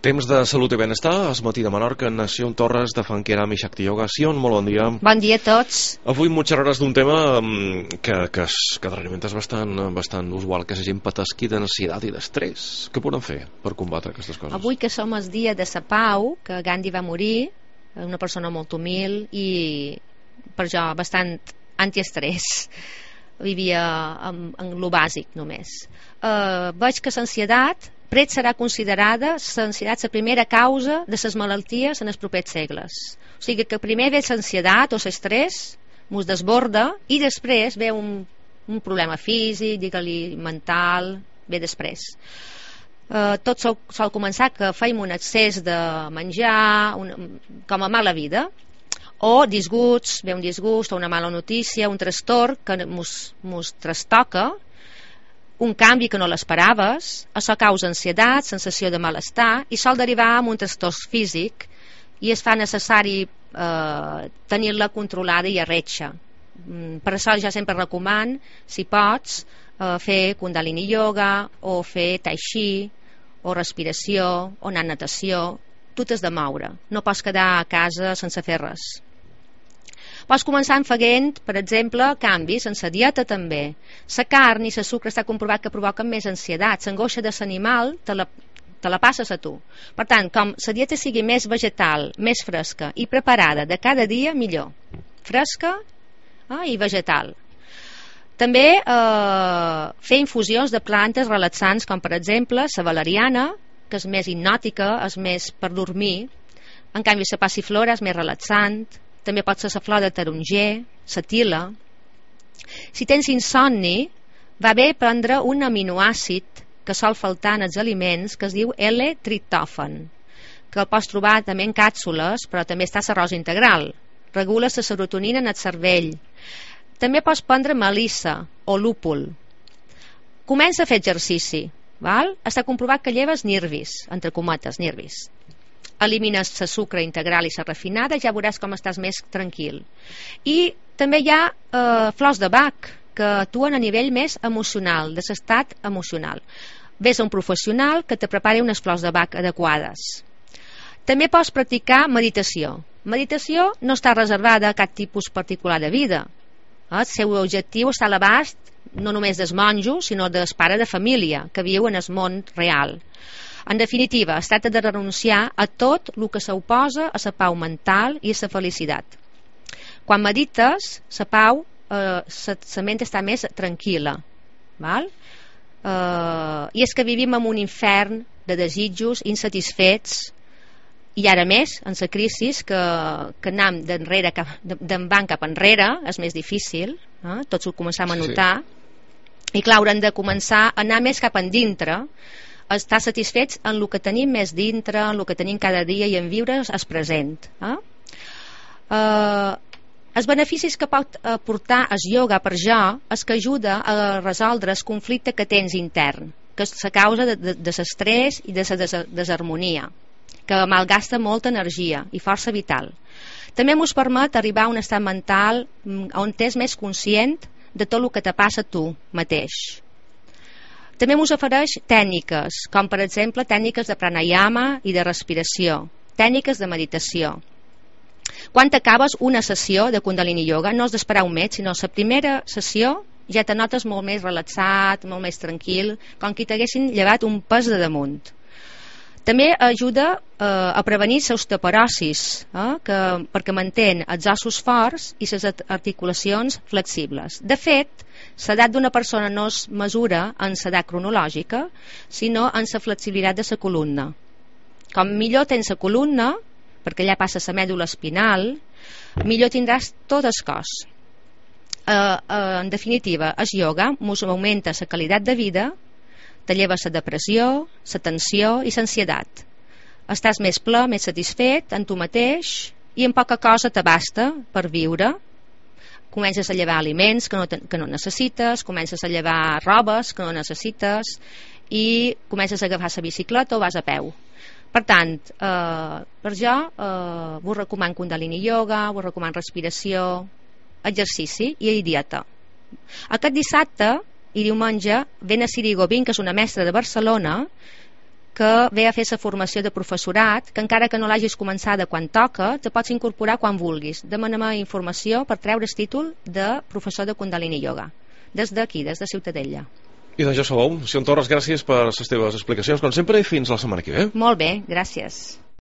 Temps de salut i benestar, es matí de Menorca, Nació Torres de Fanqueram i Shakti Yoga. Sion, molt bon dia. Bon dia a tots. Avui m'ho xerraràs d'un tema que darrerament és bastant usual, que és la gent patesqui d'ansietat i d'estrès. Què podem fer per combatre aquestes coses? Avui que som el dia de sa pau, que Gandhi va morir, una persona molt humil i per jo bastant antiestrès, vivia en lo bàsic només. Veig que l'ansietat pret serà considerada l'ansietat la primera causa de les malalties en els propers segles. O sigui que primer ve l'ansietat o l'estrès, mos desborda, i després ve un problema físic, digue-li mental, ve després. Tot sol començar que feim un excés de menjar, com a mala vida, o disgusts, ve un disgust o una mala notícia, un trastorn que mos trastoca, un canvi que no l'esperaves, això causa ansietat, sensació de malestar, i sol derivar en un trastorn físic, i es fa necessari tenir-la controlada i arretxa. Per això ja sempre recomano, si pots, fer Kundalini Yoga, o fer Tai Chi, o respiració, o anar a natació. Tu t'has de moure, no pots quedar a casa sense fer res. Pots començar fent, per exemple, canvis en la dieta també. La carn i el sucre està comprovat que provoquen més ansietat. L'angoixa de l'animal te la passes a tu. Per tant, com la dieta sigui més vegetal, més fresca i preparada de cada dia, millor. Fresca i vegetal. També fer infusions de plantes relaxants, com per exemple la valeriana, que és més hipnòtica, és més per dormir. En canvi, la passiflora és més relaxant. També pot ser la flor de taronger, la tila. Si tens insomni, va bé prendre un aminoàcid que sol faltar en els aliments, que es diu L-triptòfan, que el pots trobar també en càpsules, però també està a l'arròs integral. Regula la serotonina en el cervell. També pots prendre melissa o lúpul. Comença a fer exercici, val? Està comprovat que lleves nervis, entre cometes, nervis. Elimines la sucre integral i la refinada, ja veuràs com estàs més tranquil. I també hi ha flors de Bach que actuen a nivell més emocional, de l'estat emocional. Ves a un professional que te prepari unes flors de Bach adequades. També pots practicar meditació. Meditació no està reservada a cap tipus particular de vida. El seu objectiu està a l'abast no només dels monjos, sinó del pare de família que viu en el món real. En definitiva, es tracta de renunciar a tot el que s'oposa a la pau mental i a la felicitat. Quan medites, la pau, la ment està més tranquil·la. Val? I és que vivim en un infern de desitjos insatisfets, i ara més, en la crisi, que anem d'envant cap enrere, és més difícil, tots ho començam a notar, i clar, haurem de començar a anar més cap endintre, estar satisfets en el que tenim més dintre, en el que tenim cada dia i en viure el present. Els beneficis que pot aportar el ioga per jo és que ajuda a resoldre el conflicte que tens intern, que és la causa de l'estrès i de la desharmonia, que malgasta molta energia i força vital. També ens permet arribar a un estat mental on t'és més conscient de tot el que te passa a tu mateix. També ens ofereix tècniques, com per exemple tècniques de pranayama i de respiració, tècniques de meditació. Quan acabes una sessió de Kundalini Yoga, no has d'esperar un mes, sinó la primera sessió ja te notes molt més relaxat, molt més tranquil, com que t'haguessin llevat un pes de damunt. També ajuda a prevenir l'osteoporosis, perquè mantén els ossos forts i les articulacions flexibles. De fet, l'edat d'una persona no es mesura en l'edat cronològica, sinó en la flexibilitat de la columna. Com millor tens la columna, perquè allà passa la mèdula espinal, millor tindràs tot el cos. En definitiva, el ioga ens augmenta la qualitat de vida, te lleva la depressió, la tensió i l'ansietat. Estàs més ple, més satisfet en tu mateix i en poca cosa t'abasta per viure. Comences a llevar aliments que no necessites, comences a llevar robes que no necessites i comences a agafar la bicicleta o vas a peu. Per tant, per jo vos recomano Kundalini Yoga, vos recomano respiració, exercici i dieta. Aquest dissabte i diumenge ve a Siri Govin, que és una mestra de Barcelona, que ve a fer la formació de professorat, que encara que no l'hagis començada quan toca, te pots incorporar quan vulguis. Demana'm informació per treure el títol de professor de Kundalini Yoga. Des d'aquí, des de Ciutadella. I d'això sabeu. Sion Torres, gràcies per les teves explicacions, com sempre, i fins la setmana que ve. Molt bé, gràcies.